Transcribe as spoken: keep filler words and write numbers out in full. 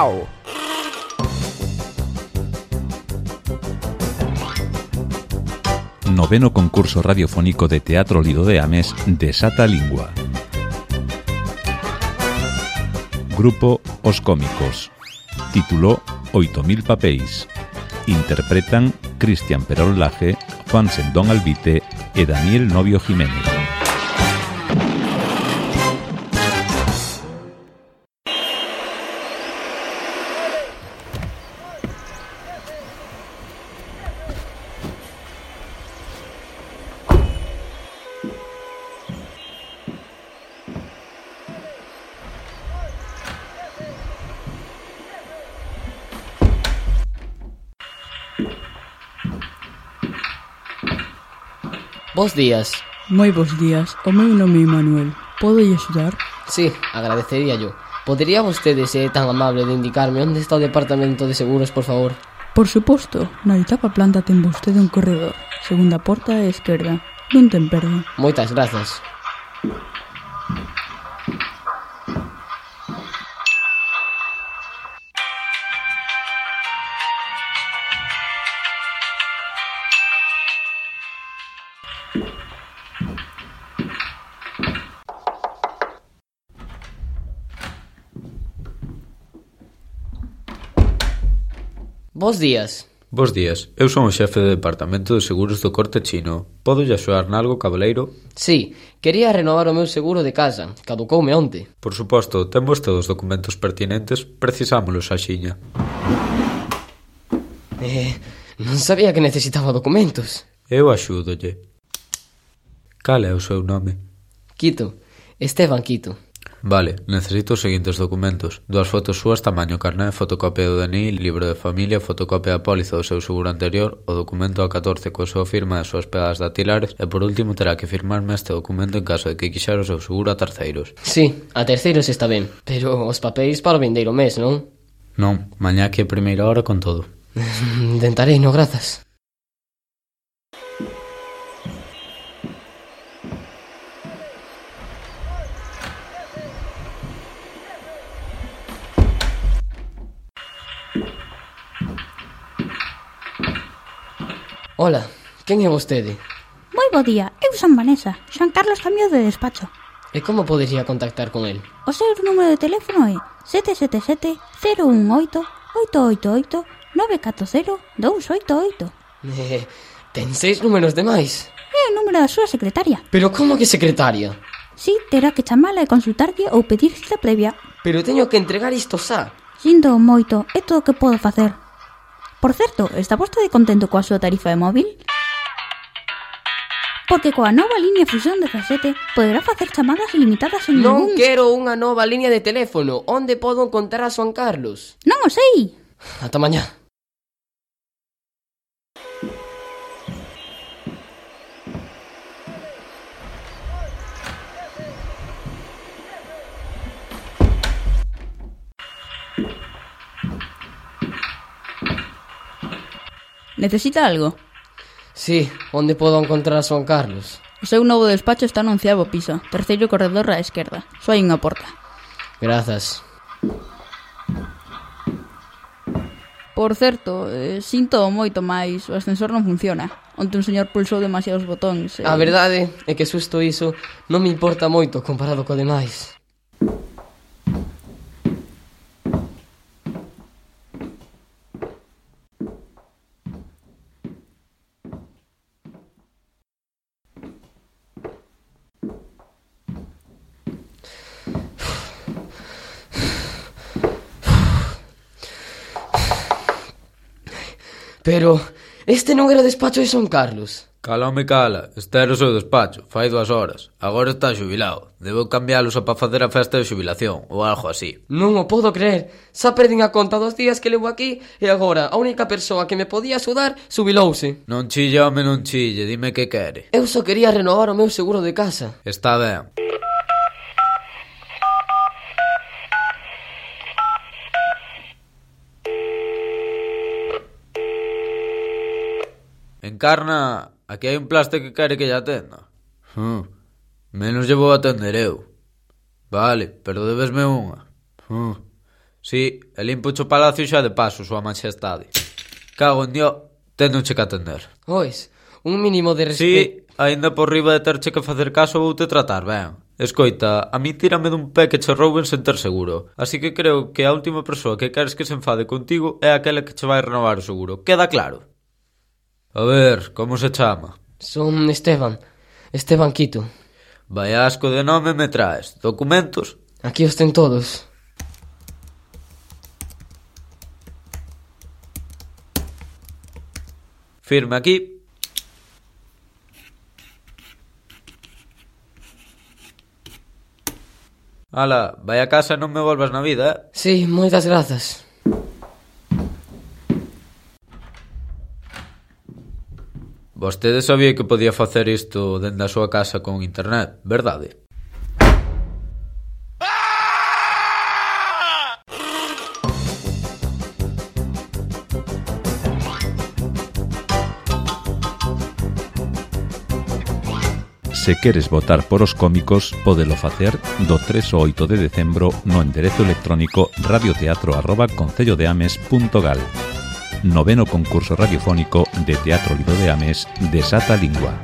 Miau. Noveno concurso radiofónico de Teatro Lido de Ames Desata Lingua. Grupo Os Cómicos. Título oito mil papéis. Interpretan Cristian Perol Laje, Juan Sendón Albite e Daniel Novio Jiménez. Bos días. Moi bos días, o meu nome é Manuel. Podo lle axudar? Sí, agradecería yo. Podería vostede ser tan amable de indicarme onde está o departamento de seguros, por favor? Por suposto, na oitava planta ten vostede un corredor. Segunda porta á esquerda. Non ten perda. Moitas grazas. Bos días. Bos días, eu son o xefe de departamento de seguros do Corte Chino. Podo lle axudar nalgo, cabaleiro? Sí, quería renovar o meu seguro de casa. Caducoume onte. Por suposto, ten vostede os documentos pertinentes, precisámolos axiña. Eh, non sabía que necesitaba documentos. Eu axúdolle. Cal é o seu nome? Quito, Esteban Quito. Vale, necesito os seguintes documentos: dúas fotos súas tamaño carné, fotocopia do D N I, libro de familia, fotocopia da póliza do seu seguro anterior, o documento A catorce coa súa firma e as súas pegadas dactilares e por último terá que firmarme este documento en caso de que quixera o seu seguro a terceiros. Sí, a terceiros está ben, pero os papéis para o vindeiro mes, non? Non, mañá que é primeira hora con todo. Intentarei, no, grazas. Hola, quen é vostede? Moi bo día, eu son Vanessa. Xoan Carlos cambio de despacho. E como podería contactar con el? O seu número de teléfono é sete sete sete, cero un oito, oito oito oito, nove catro cero, dous oito oito. Eh, ten seis números de máis. É o número da súa secretaria. Pero como que secretaria? Si, terá que chamala e consultarlle ou pedir cita previa. Pero teño que entregar isto xa. Sinto moito, é todo o que podo facer. Por certo, está vostede contento coa súa tarifa de móvil? Porque coa nova línea Fusión dezasete poderá facer chamadas ilimitadas en Non ningún... quero unha nova línea de teléfono. Onde podo encontrar a Juan Carlos? Non o sei. Ata mañá. Necesita algo? Sí, onde podo encontrar a Juan Carlos? O seu novo despacho está no onceavo piso, terceiro corredor á esquerda. Só hai unha porta. Grazas. Por certo, eh, sinto moito máis, o ascensor non funciona. Onte un señor pulsou demasiados botóns. Eh... A verdade é que susto iso non me importa moito comparado co demais. Pero este non era o despacho de Juan Carlos. Cala, home, cala. Este era o seu despacho, fai dúas horas. Agora está xubilado. Debo cambiálo só para facer a festa de xubilación, ou algo así. Non o podo creer. Xa perdín a conta dos días que levo aquí e agora a única persoa que me podía axudar xubilouse. Non chille, home, non chille. Dime que quere. Eu só quería renovar o meu seguro de casa. Está ben. Encarna, aquí hai un plaste que quere que lle atenda. Hmm. Menos lle vou atender eu. Vale, pero debesme unha. Hmm. Si, e limpo o palacio xa de paso, súa majestade. Cago en Dios, tendoche que atender. Ois, un mínimo de respeto. Si, aínda por riba de terche que facer caso vou te tratar ben. Escoita, a mí tírame dun pé que che rouben sen ter seguro. Así que creo que a última persoa que queres que se enfade contigo é aquela que che vai renovar o seguro. Queda claro? A ver, como se chama? Son Esteban. Esteban Quito. Vai asco de nome me traes. Documentos? Aquí os ten todos. Firme aquí. Ala, vai a casa e non me volvas na vida, eh? Sí, moitas grazas. Vostede sabía que podía facer isto dende a súa casa con internet, verdade? Se queres votar por Os Cómicos, pódelo facer do tres ao oito de decembro no enderezo electrónico radioteatro arroba concellodeames punto gal. Noveno concurso radiofónico de Teatro Lido de Ames, Desata Lingua.